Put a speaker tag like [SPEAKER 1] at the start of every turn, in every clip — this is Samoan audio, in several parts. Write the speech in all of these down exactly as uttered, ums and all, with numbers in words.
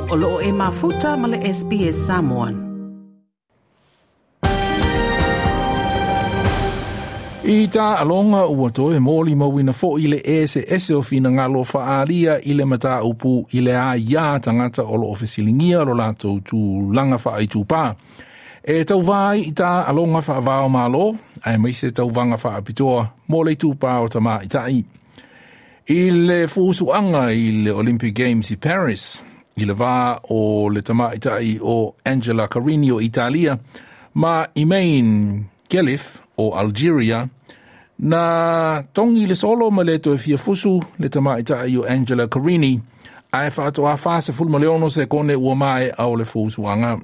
[SPEAKER 1] O loo e mafuta ma le S B S Samoan.
[SPEAKER 2] I tā alonga ua toe mōli mawina fo i le ese ese o fina ngalo whaalia i le mata upu i le a ia tangata o lo ofesilingia lo lato tu langa wha i tūpā. E tau vai i tā alonga wha vao malo, ai meise tau vanga wha apitoa mō le tūpā o tama i tai. I le fusuanga i le Olympic Games i Paris, i le vā o le tama i tai o Angela Carini o Italia, ma Imain Khelif o Algeria, na tongi le solo ma le toe fia fusu le tamaitai o Angela Carini, ae faatoa fa sefulu ma le ono sekone ua mae au le fusuanga.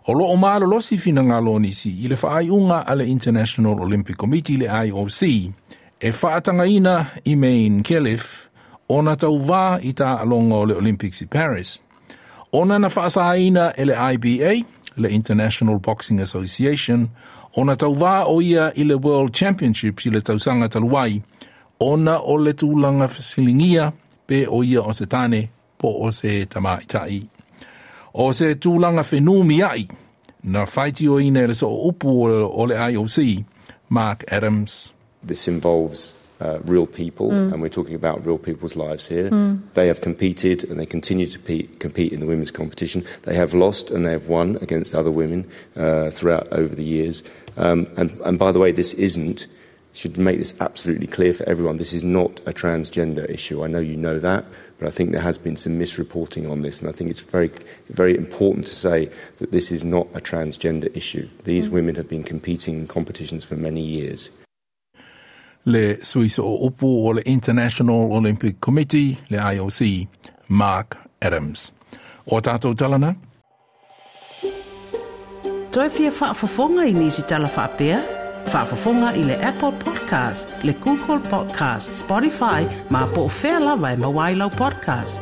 [SPEAKER 2] O loo malolosi finagalo o nisi i le faaiuga a le International Olympic Committee le I O C, e faatagaina Imain Khelif ona tauvā i taaloga o le Olympics i Paris. Ona na faasaina e le I B A, le International Boxing Association, ona tauvā o ia i le World Championships i le tausaga talu ai, ona o le tulaga fesiligia pe o ia o se tane po o se tamaitai. O se tulaga fenumi ai, na faitioina e le soo upu o le I O C, Mark Adams.
[SPEAKER 3] This involves, uh, real people,
[SPEAKER 4] mm.
[SPEAKER 3] and we're talking about real people's lives here.
[SPEAKER 4] Mm.
[SPEAKER 3] They have competed and they continue to pe- compete in the women's competition. They have lost and they have won against other women, uh, throughout over the years. Um, and, and by the way, this isn't, should make this absolutely clear for everyone, this is not a transgender issue. I know you know that, but I think there has been some misreporting on this, and I think it's very, very important to say that this is not a transgender issue. These
[SPEAKER 4] mm.
[SPEAKER 3] women have been competing in competitions for many years.
[SPEAKER 2] Le Suisse o upu o le International Olympic Committee, le I O C, Mark Adams. O tātou talana?
[SPEAKER 1] Toi fia faafofoga i nisi tala faapea? Faafofoga i le Apple Podcast, le Google Podcast, Spotify, ma po o fea lava e maua ai lau podcast.